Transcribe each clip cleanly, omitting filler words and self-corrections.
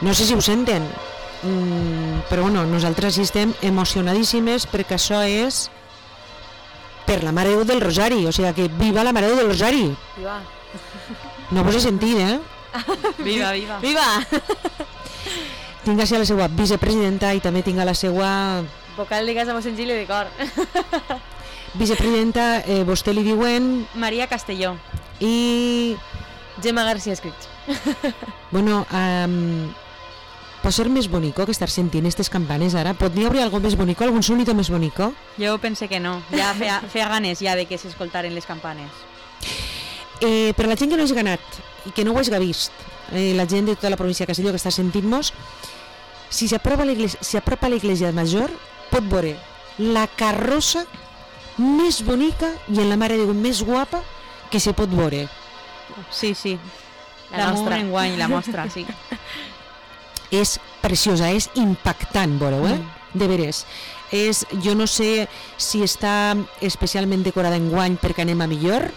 No sé si ho senten, però bueno, nosaltres hi estem emocionadíssimes perquè això és per la Mare de Déu del Rosari, o sigui que viva la Mare de Déu del Rosari. Viva. No vos he sentit, Viva, viva. Viva! Tinc així a la seva vicepresidenta i també tinc a la seva... Vocal de casa Mossèn Gili de cor. Vicepresidenta, vostè li diuen... Maria Castelló. I... Gemma García Escrits. Bueno, pot ser més bonico que estar sentint aquestes campanes ara? Podria haver algo més bonico, algun sonito més bonico? Jo pensé que no, ja feia ganes ja de que s'escoltaren les campanes. Per la gent que no hagi ganat i que no ho hagi vist, la gent de tota la província de Castelló que està sentint-nos, si s'apropa a l'església major, pot veure la carrossa més bonica i en la Mare de Déu més guapa que se pot veure. Sí, sí, la nostra enguany, la mostra, sí. És preciosa, és impactant, veureu, de veres. Jo no sé si està especialment decorada enguany perquè anem a millor.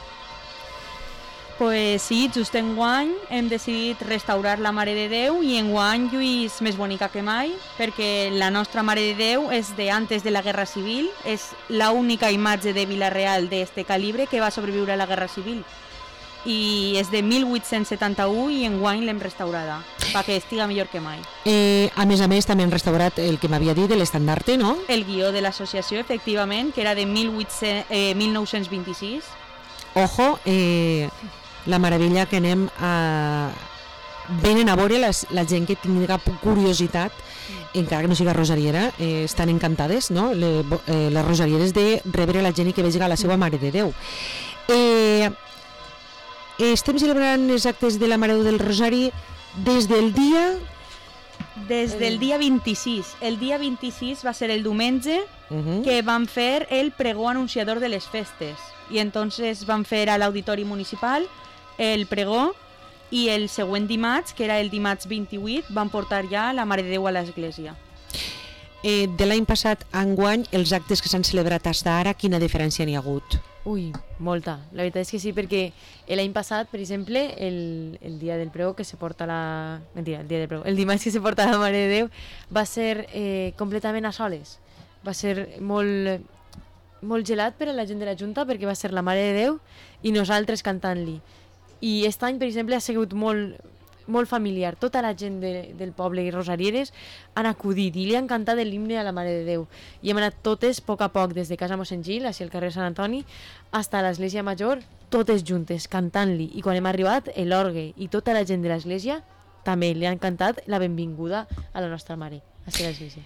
Pues sí, just enguany hem decidit restaurar la Mare de Déu i enguany lluís més bonica que mai perquè la nostra Mare de Déu és de antes de la Guerra Civil, és l'única imatge de Vila-real d'este calibre que va sobreviure a la Guerra Civil i és de 1871 i enguany l'hem restaurada perquè estiga millor que mai. A més, també han restaurat el que m'havia dit de l'estandarte, no? El guió de l'associació, efectivament, que era de 1926. Ojo, la meravella que anem a... Venen a veure la gent que tingui curiositat, encara que no siga rosariera, estan encantades, no? Les rosarieres de rebre la gent i que vegi la seva Mare de Déu. Estem celebrant els actes de la Mare de Déu del Rosari des del dia 26. El dia 26 va ser el diumenge que van fer el pregó anunciador de les festes i entonces van fer a l'Auditori Municipal el pregó i el següent dimarts, que era el dimarts 28, van portar ja la Mare de Déu a l'església. De l'any passat a enguany, els actes que s'han celebrat fins ara, quina diferència n'hi ha hagut? Ui, molta. La veritat és que sí, perquè l'any passat, per exemple, el dia del pregó que se porta la... Mentira, el dia del pregó. El dimarts que se porta la Mare de Déu va ser completament a soles. Va ser molt gelat per a la gent de la Junta perquè va ser la Mare de Déu i nosaltres cantant-li. I aquest any, per exemple, ha sigut molt familiar. Tota la gent del poble i rosarieres han acudit i li han cantat l'himne a la Mare de Déu. I hem anat totes, a poc a poc, des de casa Mossèn Gil, així al carrer Sant Antoni, fins a l'església major, totes juntes, cantant-li. I quan hem arribat, l'orgue i tota la gent de l'església també li han cantat la benvinguda a la nostra Mare, a l'església.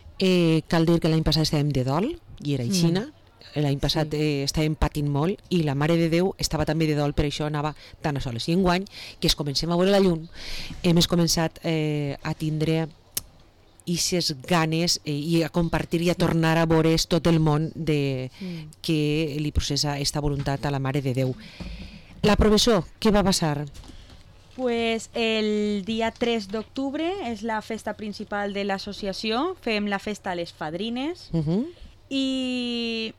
Cal dir que l'any passat estàvem de dol, i era aixina. L'any passat estàvem patint molt i la Mare de Déu estava també de dol, per això anava tan a soles. I enguany, que es comencem a veure la llum, hem començat a tindre aquestes ganes i a compartir i a tornar a veure tot el món que li processa aquesta voluntat a la Mare de Déu. La professor, què va passar? Pues el dia 3 d'octubre és la festa principal de l'associació, fem la festa a les fadrines i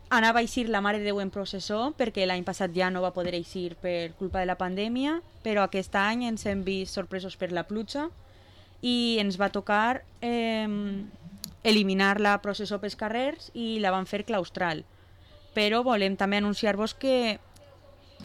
anava a eixir la Mare de Déu en processó perquè l'any passat ja no va poder eixir per culpa de la pandèmia, però aquest any ens hem vist sorpresos per la pluja i ens va tocar eliminar la processó pels carrers i la van fer claustral. Però volem també anunciar-vos que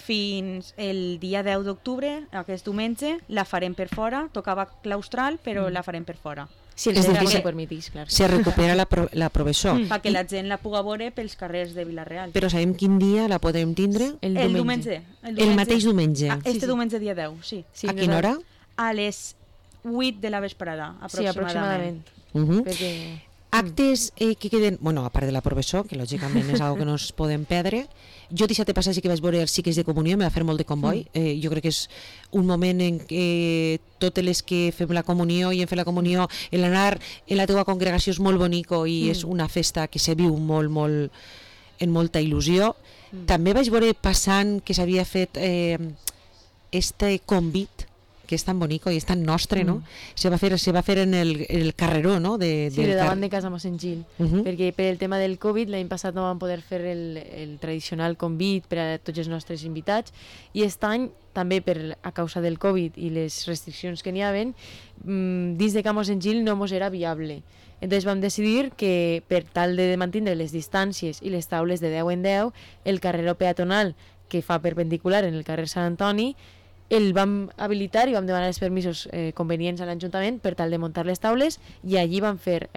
fins el dia 10 d'octubre, aquest diumenge, la farem per fora, tocava claustral però la farem per fora. Si el centre se permetís, clar. Se recupera la professó. Perquè la gent la puga veure pels carrers de Vila-real. Però sabem quin dia la podem tindre? El diumenge. El mateix diumenge. Diumenge dia 10, sí. A quina hora? A les 8 de la vesprada, aproximadament. Sí, aproximadament. Actes que queden, bueno, a part de la professó, que lògicament és algo que no es podem perdre. Jo dissabte passat sí que vaig veure els cicles de comunió, me va fer molt de comboi. Jo crec que és un moment en què totes les que fem la comunió i hem fet la comunió, l'anar en la teua congregació és molt bonico i és una festa que se viu molt, molt, en molta il·lusió. També vaig veure passant que s'havia fet este convit que és tan bonico i és tan nostre, no? Se va fer en el carreró, no? Sí, de davant de casa Mossèn Gil, perquè per el tema del Covid l'any passat no vam poder fer el tradicional convit per a tots els nostres invitats, i aquest any, també a causa del Covid i les restriccions que n'hi haven, dins de Can Mossèn Gil no mos era viable. Entonces vam decidir que per tal de mantenir les distàncies i les taules de 10 en 10, el carreró peatonal que fa perpendicular en el carrer Sant Antoni el vam habilitar i vam demanar els permisos convenients a l'Ajuntament per tal de muntar les taules, i allí vam fer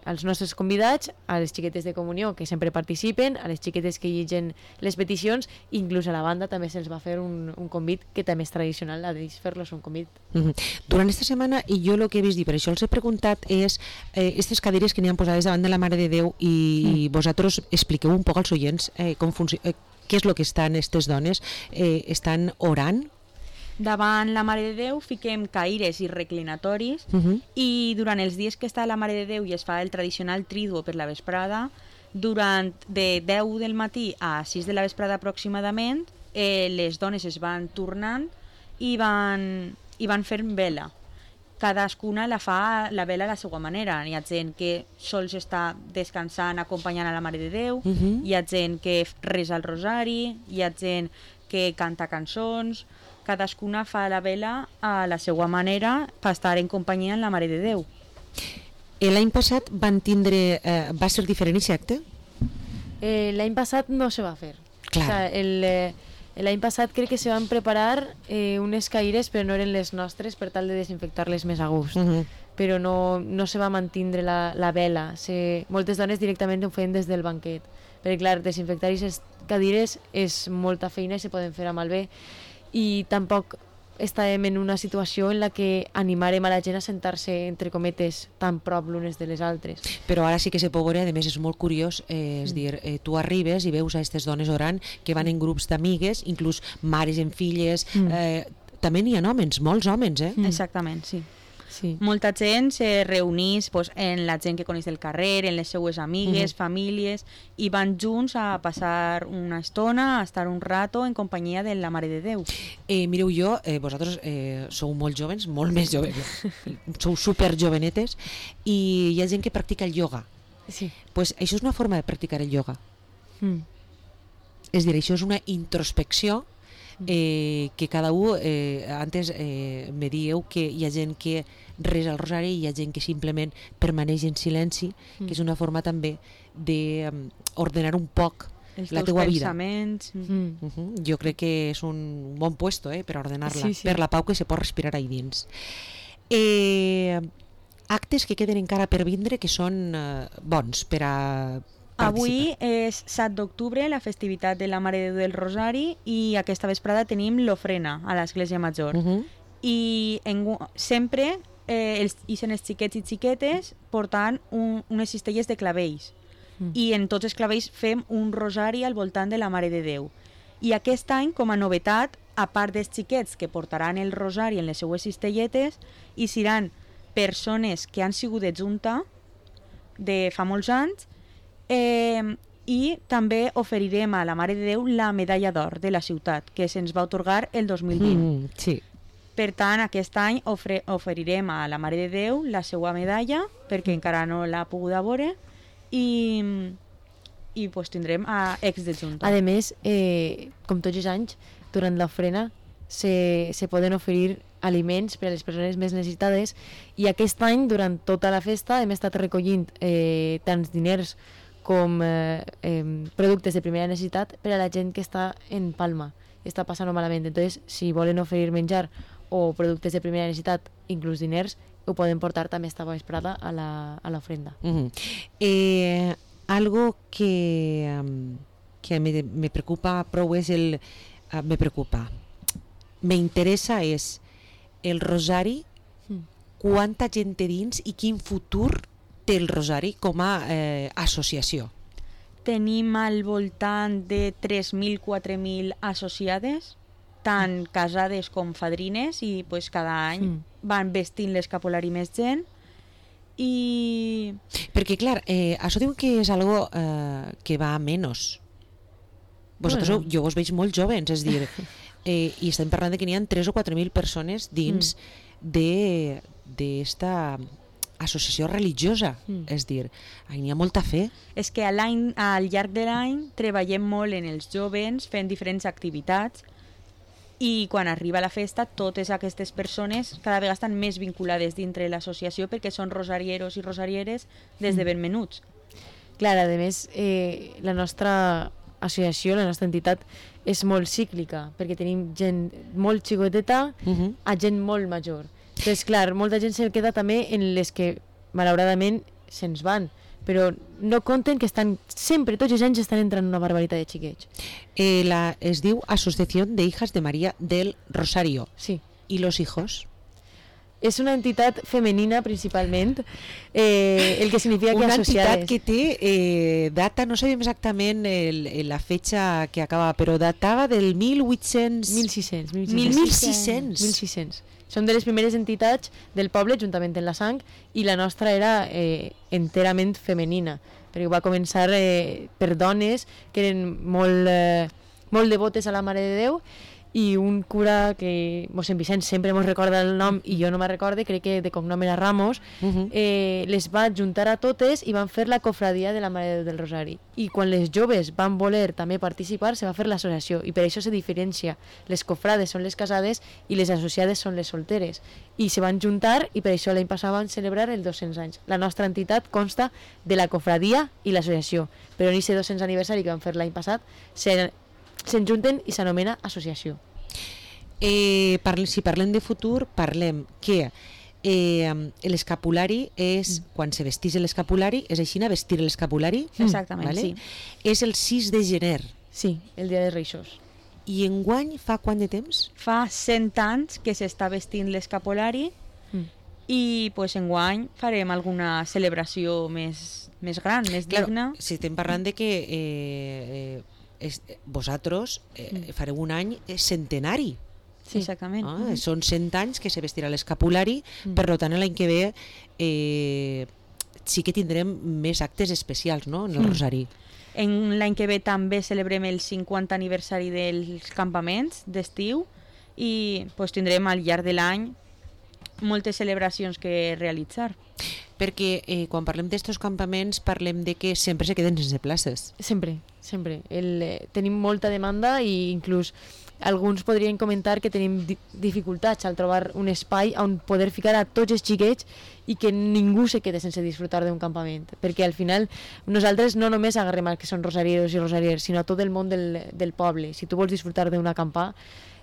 als nostres convidats, a les xiquetes de comunió que sempre participen, a les xiquetes que llegeixen les peticions, inclús a la banda també se'ls va fer un convit que també és tradicional, a d'ells fer-los un convit. Durant aquesta setmana, i jo el que he vist, i per això els he preguntat, és aquestes cadires que n'hi han posades davant de la Mare de Déu, i vosaltres expliqueu un poc als oients com funciona, què és el que estan aquestes dones, estan orant? Davant la Mare de Déu fiquem caires i reclinatoris, i durant els dies que està la Mare de Déu i es fa el tradicional triduo per la vesprada, durant de 10 del matí a 6 de la vesprada aproximadament, les dones es van tornant i van fer vela. Cadascuna fa la vela a la seva manera. Hi ha gent que sols està descansant acompanyant a la Mare de Déu, hi ha gent que resa el rosari, hi ha gent que canta cançons. Cadascuna fa la vela a la seva manera per estar en companyia amb la Mare de Déu. L'any passat va ser diferent aquest acte? L'any passat no se va fer. Clar. O sea, l'any passat crec que se van preparar unes caires, però no eren les nostres, per tal de desinfectar-les més a gust. Però no se va mantindre la vela. Moltes dones directament ho feien des del banquet. Perquè, clar, desinfectar aquestes cadires és molta feina i se poden fer a malbé. I tampoc estàvem en una situació en la que animarem a la gent a sentar-se, entre cometes, tan prop l'unes de les altres. Però ara sí que se pot veure, a més és molt curiós, és dir, tu arribes i veus a aquestes dones orant que van en grups d'amigues, inclús mares en filles, també n'hi ha homes, molts homes, Exactament, sí. Sí. Molta gent se reunís en la gent que coneix del carrer, en les seues amigues, famílies, i van junts a passar una estona, a estar un rato en companyia de la Mare de Déu. Mireu, vosaltres sou molt joves, molt més joves, sou super jovenetes, i hi ha gent que practica el ioga. Sí. Pues això és una forma de practicar el ioga. És dir, això és una introspecció que cada un, antes me dieu que hi ha gent que resa el rosari i hi ha gent que simplement permaneix en silenci, que és una forma també d'ordenar un poc la teua vida. Els teus pensaments. Jo crec que és un bon puesto per ordenar-la, per la pau que se pot respirar ahí dins. Actes que queden encara per vindre que són bons per a Avui és 7 d'octubre, la festivitat de la Mare de Déu del Rosari, i aquesta vesprada tenim l'ofrena a l'Església Major. I sempre ixen els xiquets i xiquetes portant unes cistelles de clavells. I en tots els clavells fem un rosari al voltant de la Mare de Déu. I aquest any, com a novetat, a part dels xiquets que portaran el rosari en les seues cistelletes, hi seran persones que han sigut de junta de fa molts anys, i també oferirem a la Mare de Déu la medalla d'or de la ciutat, que se'ns va atorgar el 2020. Sí. Per tant, aquest any oferirem a la Mare de Déu la seva medalla, perquè encara no l'ha pogut veure, i pues, tindrem ex de junta. A més, com tots els anys, durant l'ofrena se poden oferir aliments per a les persones més necessitades, i aquest any, durant tota la festa, hem estat recollint tants diners com productes de primera necessitat per a la gent que està en Palma, està passant malament. Entonces, si volen oferir menjar o productes de primera necessitat, inclús diners, ho poden portar també esta vesprada a l'ofrenda. Algo que me preocupa prou és me interessa és el rosari, quanta gent té dins i quin futur té el rosari com a associació. Tenim al voltant de 3.000, 4.000 associades, tant casades com fadrines, i pues, cada any van vestint l'escapulari més gent. Perquè clar, això diu que és algo que va a menos. Vosaltres, jo vos veig molt jovens, és dir, i estem parlant que n'hi ha 3 o 4.000 persones dins d'esta associació religiosa, és dir, n'hi ha molta fe. És que al llarg de l'any treballem molt en els joves fent diferents activitats i quan arriba la festa totes aquestes persones cada vegada estan més vinculades dintre l'associació perquè són rosarieros i rosarieres des de ben menuts. Clar, a més, la nostra associació, la nostra entitat, és molt cíclica, perquè tenim gent molt xicoteta a gent molt major. Entonces, clar, molta gent se queda també en les que, malauradament, se'ns van, però no compten que estan sempre, tots els anys estan entrant una barbaritat de xiquets. Es diu Asociació de Hijas de María del Rosario. Sí. ¿Y los hijos? És una entitat femenina principalment, el que significa que una associades. Entitat que té data, no sabem exactament la fecha que acaba, però datava del 1600. 1600. Són de les primeres entitats del poble, juntament amb la sang, i la nostra era enterament femenina, perquè va començar per dones que eren molt devotes a la Mare de Déu, i un cura que mossèn Vicenç sempre mos recorda el nom i jo no me'n recorde, crec que de cognom era Ramos, les va juntar a totes i van fer la cofradia de la Mare de Déu del Rosari, i quan les joves van voler també participar se va fer l'associació, i per això se diferencia, les cofrades són les casades i les associades són les solteres, i se van juntar i per això l'any passat van celebrar els 200 anys. La nostra entitat consta de la cofradia i l'associació, però en aquest 200 aniversari que van fer l'any passat se'n junten i s'anomena associació. Si parlem de futur, parlem que l'escapulari és, quan se vestís l'escapulari, és així, vestir l'escapulari? Exactament, vale? sí. És el 6 de gener. Sí, el dia de Reixos. I enguany fa quant de temps? Fa 100 anys que s'està vestint l'escapulari i pues, enguany farem alguna celebració més gran, més digna. Si estem parlant de que vosaltres fareu un any centenari. Sí, exactament. Són 100 anys que se vestirà l'escapulari, per tant l'any que ve sí que tindrem més actes especials, no?, en el Rosari. L'any que ve també celebrem el 50 aniversari dels campaments d'estiu i pues, tindrem al llarg de l'any moltes celebracions que realitzar. Perquè quan parlem d'estos campaments parlem de que sempre se queden sense places. Sempre. Tenim molta demanda i inclús alguns podrien comentar que tenim dificultats al trobar un espai on poder ficar a tots els xiquets i que ningú se quede sense disfrutar d'un campament, perquè al final nosaltres no només agarrem els que són rosarieros i rosariers, sinó a tot el món del poble. Si tu vols disfrutar d'un acampar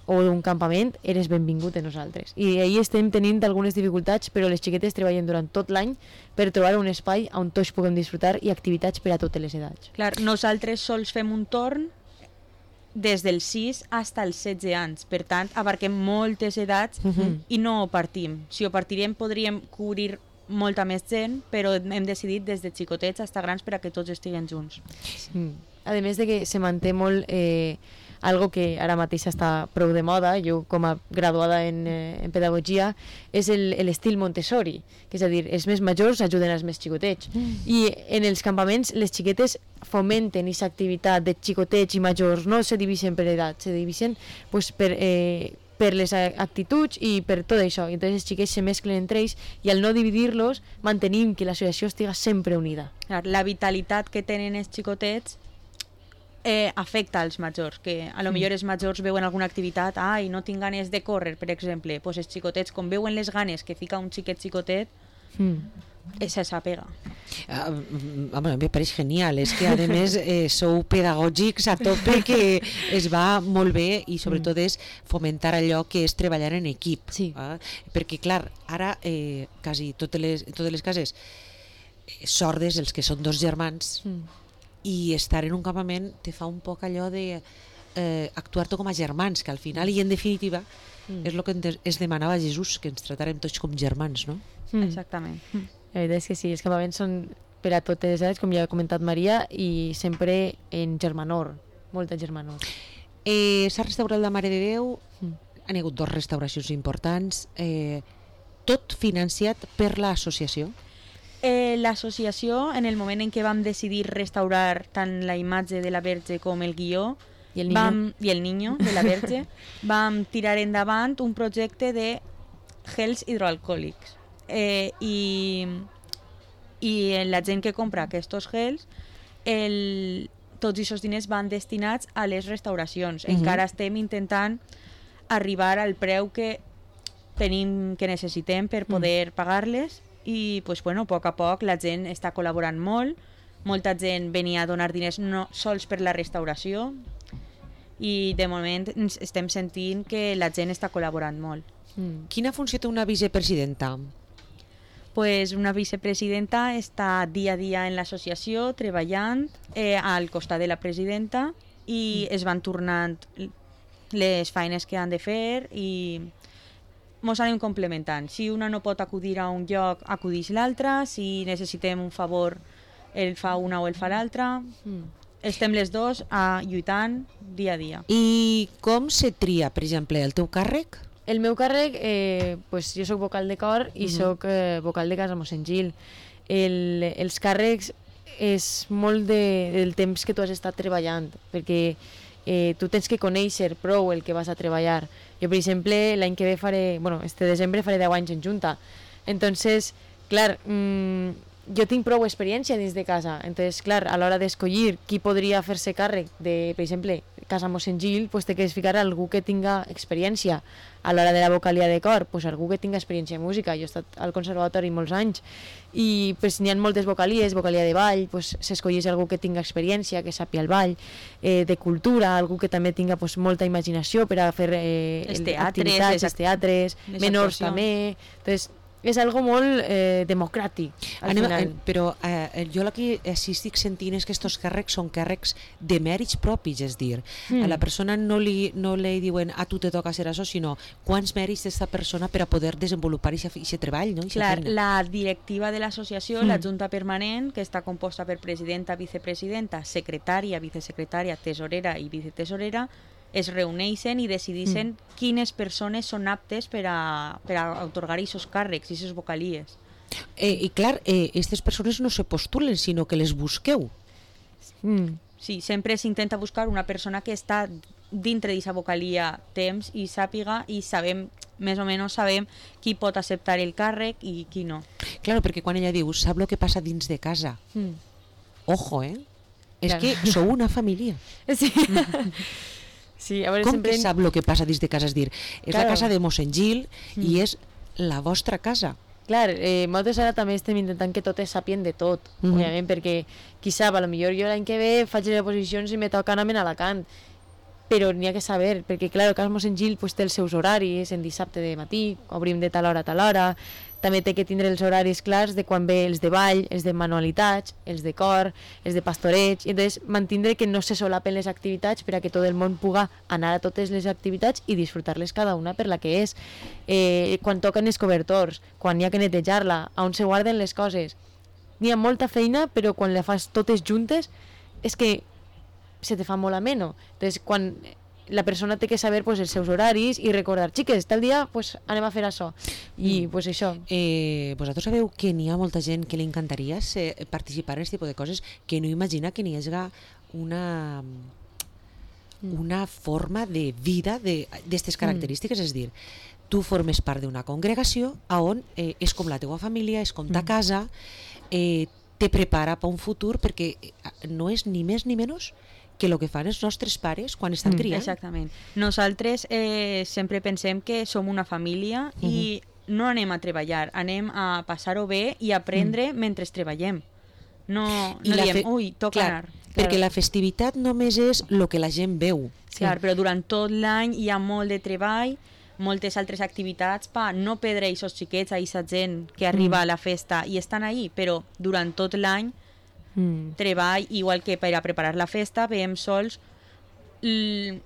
o d'un campament, eres benvingut a nosaltres. I ahir estem tenint algunes dificultats, però les xiquetes treballen durant tot l'any per trobar un espai on tots puguem disfrutar i activitats per a totes les edats. Clar, nosaltres sols fem un torn des dels 6 fins als 16 anys. Per tant, abarquem moltes edats i no partim. Si ho partirem podríem cobrir molta més gent, però hem decidit des de xicotets fins a grans per a que tots estiguen junts. A més de que se manté molt algo que ara mateix està prou de moda, jo com a graduada en pedagogia, és l'estil Montessori, que és a dir, els més majors ajuden els més xicotets. I en els campaments les xiquetes fomenten aquesta activitat de xicotets i majors, no se divideixen per edat, se divideixen pues, per les actituds i per tot això. I entonces els xiquets se mesclen entre ells i al no dividir-los mantenim que l'associació estiga sempre unida. La vitalitat que tenen els xicotets afecta als majors, que a lo millor els majors veuen alguna activitat, i no tinc ganes de córrer, per exemple, pues els xicotets, com veuen les ganes que fica un xicotet, s'apega. A mi me pareix genial, és que a més sou pedagògics a tope, que es va molt bé i sobretot és fomentar allò que és treballar en equip. Sí. Perquè clar, ara quasi totes les cases sordes, els que són dos germans, i estar en un campament te fa un poc allò de actuar-te com a germans, que al final i en definitiva és el que es demanava a Jesús, que ens tratarem tots com germans, no? Exactament. La veritat és que sí, els campaments són per a totes les edats, com ja ha comentat Maria, i sempre en germanor, molta germanor. S'ha restaurat la Mare de Déu, han hagut 2 restauracions importants, tot financiat per l'associació. L'associació, en el moment en què vam decidir restaurar tant la imatge de la Verge com el guió, I el niño? I el niño de la Verge, vam tirar endavant un projecte de gels hidroalcohòlics. I la gent que compra aquests gels, tots aquests diners van destinats a les restauracions. Encara estem intentant arribar al preu que tenim, que necessitem per poder pagar-les, i pues, bueno, a poc la gent està col·laborant molt. Molta gent venia a donar diners no sols per la restauració, i de moment estem sentint que la gent està col·laborant molt. Quina funció té una vicepresidenta? Pues una vicepresidenta està dia a dia en l'associació treballant al costat de la presidenta, i es van tornant les feines que han de fer i mos anem complementant. Si una no pot acudir a un lloc, acudix l'altra. Si necessitem un favor, el fa una o el fa l'altra. Estem les dos lluitant dia a dia. I com se tria, per exemple, el teu càrrec? El meu càrrec, pues, jo sóc vocal de cor i sóc vocal de Casa Mossèn Gil. Els càrrecs és molt del temps que tu has estat treballant, perquè tu tens que conèixer prou el que vas a treballar. Jo, per exemple, l'any que ve este desembre faré 10 anys en Junta. Entonces, clar, jo tinc prou experiència dins de casa. Entonces, clar, a l'hora d'escollir qui podria fer-se càrrec de, per exemple, Casa Mossèn Gil, pues té que ficar algú que tinga experiència. A l'hora de la vocalia de cor, pues algú que tinga experiència en música. Jo he estat al conservatori molts anys i pues, n'hi ha moltes vocalies, vocalia de ball, pues, s'escolleix algú que tinga experiència, que sàpia el ball, de cultura, algú que també tinga pues, molta imaginació per a fer activitats, els teatres, menors també. Entonces, és algo molt democràtic al final. Però jo el que sí estic sentint és que aquests càrrecs són càrrecs de mèrits propis, és dir, a la persona no li diuen a tu te toca ser això, sinó quants mèrits té aquesta persona per a poder desenvolupar aquest treball, no? Clar, la directiva de l'associació, la Junta Permanent, que està composta per presidenta, vicepresidenta, secretària, vicesecretària, tesorera i vicetesorera, es reuneixen i decideixen quines persones són aptes per a atorgar aquests càrrecs, aquestes vocalies. I clar, aquestes persones no se postulen, sinó que les busqueu. Sí, sempre s'intenta buscar una persona que està dintre d'aquesta vocalia temps i sàpiga, i sabem, més o menys sabem qui pot acceptar el càrrec i qui no. Clar, perquè quan ella diu, sap el que passa dins de casa. Ojo, és que sou una família. Sí. Sí, a veure, com que sap el que passa dins de casa? És dir, és la casa de Mossèn Gil i és la vostra casa. Clar, nosaltres ara també estem intentant que totes sàpien de tot, òbviament, perquè qui sap, potser jo l'any que ve faig les oposicions i me toca anar a Alacant, però n'hi ha que saber, perquè clar, el Casa Mossèn Gil pues, té els seus horaris, en dissabte de matí, obrim de tal hora a tal hora, també té que tindre els horaris clars de quan ve els de ball, els de manualitats, els de cor, els de pastoreig, i entonces mantindre que no se solapen les activitats per a que tot el món puga anar a totes les activitats i disfrutar-les cada una per la que és. Quan toquen els cobertors, quan hi ha que netejar-la, on se guarden les coses. N'hi ha molta feina, però quan la fas totes juntes és que se te fa molt ameno. Entonces, quan la persona té que saber pues, els seus horaris i recordar, xiques, tal dia pues, anem a fer això. I pues, això. Vosaltres sabeu que n'hi ha molta gent que li encantaria participar en aquest tipus de coses, que no imagina que n'hi hagi una forma de vida d'aquestes característiques, és dir, tu formes part d'una congregació on és com la teua família, és com ta casa, te prepara per un futur, perquè no és ni més ni menys que el que fan els nostres pares quan estan criant. Exactament. Nosaltres sempre pensem que som una família i no anem a treballar, anem a passar-ho bé i aprendre mentre treballem. No diem, ui, toca anar. Perquè la festivitat només és el que la gent veu. Clar, però durant tot l'any hi ha molt de treball, moltes altres activitats per no perdre aquests xiquets, aquesta gent que arriba a la festa i estan ahí, però durant tot l'any treball, igual que per a preparar la festa, veiem sols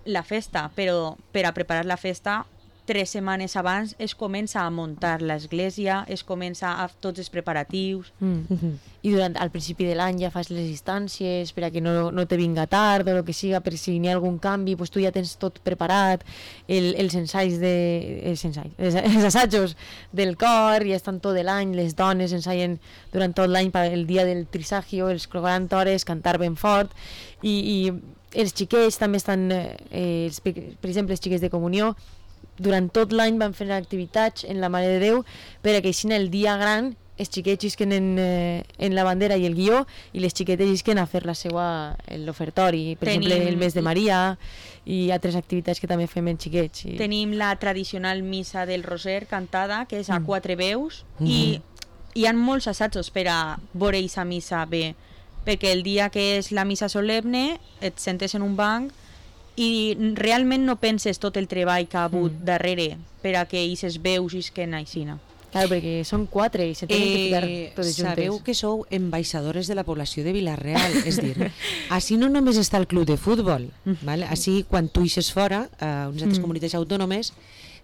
la festa, però per a preparar la festa 3 setmanes abans es comença a muntar l'església, es comença a tots els preparatius. I al principi de l'any ja fas les instàncies per a que no te vinga tard o el que siga, per si n'hi ha algun canvi, pues tu ja tens tot preparat, els assajos del cor, ja estan tot l'any, les dones ensaien durant tot l'any el dia del trisagio, els 40 hores, cantar ben fort, i els xiquets també estan, per exemple, els xiquets de comunió, durant tot l'any van fer activitats en la Mare de Déu per a que així el dia gran els xiquets llisquen en la bandera i el guió i les xiquetes llisquen a fer l'ofertori, per exemple el mes de Maria i altres activitats que també fem en xiquets. Tenim la tradicional missa del Roser cantada, que és a 4 veus, i hi ha molts assajos per a veure aquesta missa bé, perquè el dia que és la missa solemne et sentes en un banc i realment no penses tot el treball que ha hagut darrere per a que aquestes veus isquen aixina. Claro, perquè són 4 i se tenen que ficar totes juntes. Sabeu que sou ambaixadores de la població de Vila-real, és dir, així no només està el club de futbol, ¿vale? Així quan tu ixes fora, a unes altres comunitats autònomes,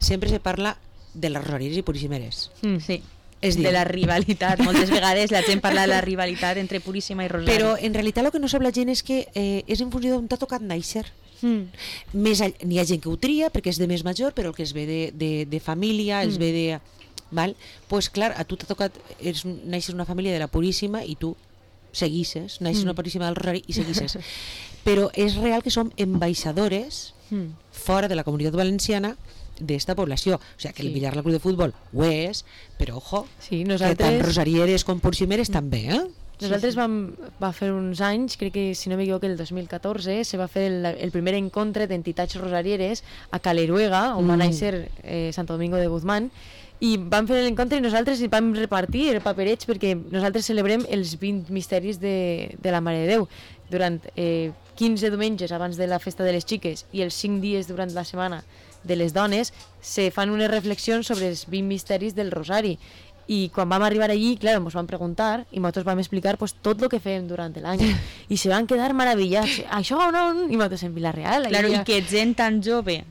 sempre se parla de les rosarieres i puríssimeres. Sí, de la rivalitat. Moltes vegades la gent parla de la rivalitat entre Puríssima i Rosari. Però en realitat el que no sap la gent és que és en funció d'on t'ha tocat néixer. N'hi ha gent que ho tria perquè és de més major, però el que es ve de família, els ve de... Val? Pues clar, a tu t'ha tocat naixes una família de la Puríssima i tu seguisses, naixes una Puríssima del Rosari i seguisses. Però és real que som ambaixadores fora de la comunitat valenciana d'esta població. O sigui, que el Villar, la club de futbol ho és, però ojo, que tant rosarieres com puríssimeres també, Nosaltres vam fer uns anys, crec que si no m'equivoco el 2014, se va fer el primer encontre d'entitats rosarieres a Caleruega, on va néixer Santo Domingo de Guzmán, i vam fer l'encontre i nosaltres vam repartir paperets perquè nosaltres celebrem els 20 misteris de la Mare de Déu durant 15 diumenges abans de la festa de les xiques i els 5 dies durant la setmana de les dones se fan unes reflexions sobre els 20 misteris del Rosari i quan vam arribar allí, clar, ens van preguntar i nosaltres vam explicar pues, tot el que fem durant l'any i se van quedar meravellats això no, i nosaltres en Vila-real claro, i que gent tan jove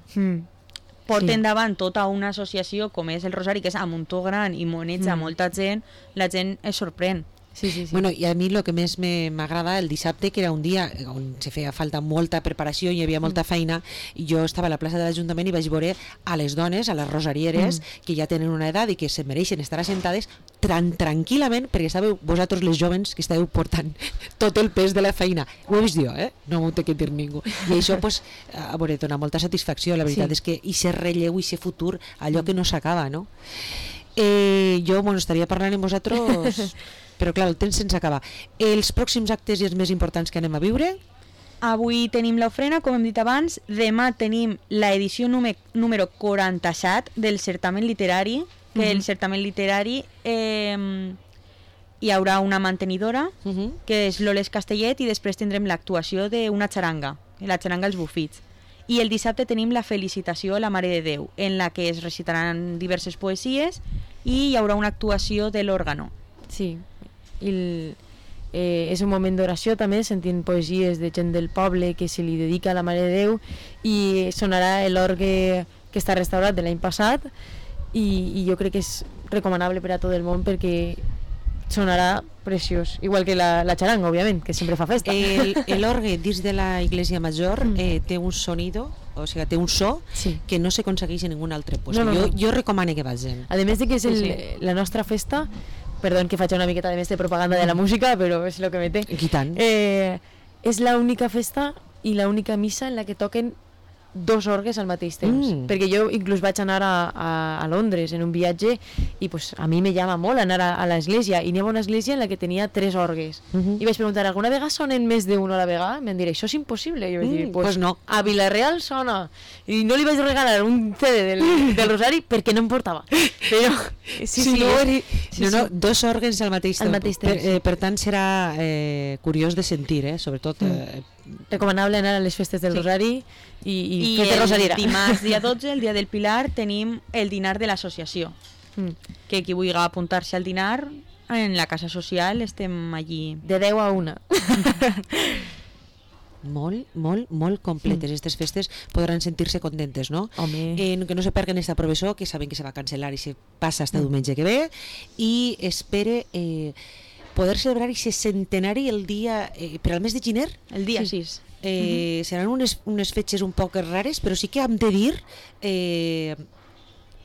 porten davant tota una associació com és el Rosari, que és a muntó gran i moneja molta gent, la gent es sorprèn. Sí. Bueno, i a mi el que més m'agrada el dissabte, que era un dia on se feia falta molta preparació i hi havia molta feina, i jo estava a la plaça de l'Ajuntament i vaig veure a les dones, a les rosarieres, que ja tenen una edat i que se mereixen estar assentades tranquil·lament, perquè sabeu vosaltres les jovens que estàveu portant tot el pes de la feina. Ho he vist jo, no m'ho té que dir ningú. I això, pues, a veure, dona molta satisfacció. La veritat és que i se relleu i se futur, allò que no s'acaba, no? Jo, bueno, estaria parlant amb vosaltres... Però clar, el temps se'ns acaba. Els pròxims actes i els més importants que anem a viure? Avui tenim l'ofrena, com hem dit abans. Demà tenim l'edició número 47 del certamen literari, que el certamen literari hi haurà una mantenidora, que és l'Oles Castellet, i després tindrem l'actuació d'una xaranga, la xaranga Els Bufits. I el dissabte tenim la felicitació a la Mare de Déu, en la que es recitaran diverses poesies i hi haurà una actuació de l'òrgano. Sí, és un moment d'oració també, sentint poesies de gent del poble que se li dedica a la Mare de Déu i sonarà l'orgue que està restaurat de l'any passat i jo crec que és recomanable per a tot el món perquè sonarà preciós, igual que la xaranga, òbviament, que sempre fa festa. L'orgue dins de la Iglesia Major té un sonido, o sigui, té un so que no s'aconsegueix en ningun altre lloc. Jo recomano que vagin. A més de que és la nostra festa, perdó que faig una miqueta de més de propaganda de la música, però és el que me té. I tant. És l'única festa i l'única missa en la que toquen 2 orgues al mateix temps, perquè jo inclús vaig anar a Londres en un viatge i pues, a mi me llama molt anar a l'església i n'hi havia una església en la que tenia 3 orgues i vaig preguntar, alguna vegada sonen més d'una a la vegada? Em van dir, això és impossible. I jo vaig dir, pues no, a Vila-real sona, i no li vaig regalar un CD del Rosari perquè no em portava, però no, 2 òrgans al mateix temps. Per tant serà curiós de sentir, sobretot recomanable anar a les festes del Rosari i fer de rosariera. Dimarts, dia 12, el dia del Pilar, tenim el dinar de l'associació, que qui vulgui apuntar-se al dinar en la casa social estem allí de 10 a 1. Molt completes aquestes festes, podran sentir-se contentes, no? Que no se perguen esta professor, que saben que se va cancel·lar i se passa hasta diumenge que ve, i espere poder celebrar aquest centenari el dia per al mes de gener, el dia 6. Seran unes fetges un poc rares, però sí que hem de dir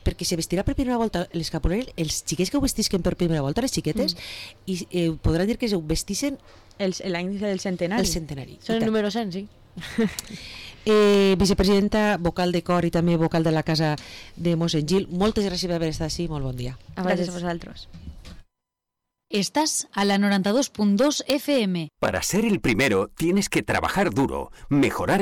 perquè se vestirà per primera volta l'escapuler, els xiquets que ho vestisquen per primera volta, les xiquetes, i podran dir que ho vestissin l'any del centenari. El centenari. Són el número 100, sí. Vicepresidenta, vocal de cor i també vocal de la casa de Mossèn Gil, moltes gràcies per haver estat així, molt bon dia. Gràcies a vosaltres. Estás a la 92.2 FM. Para ser el primero tienes que trabajar duro, mejorar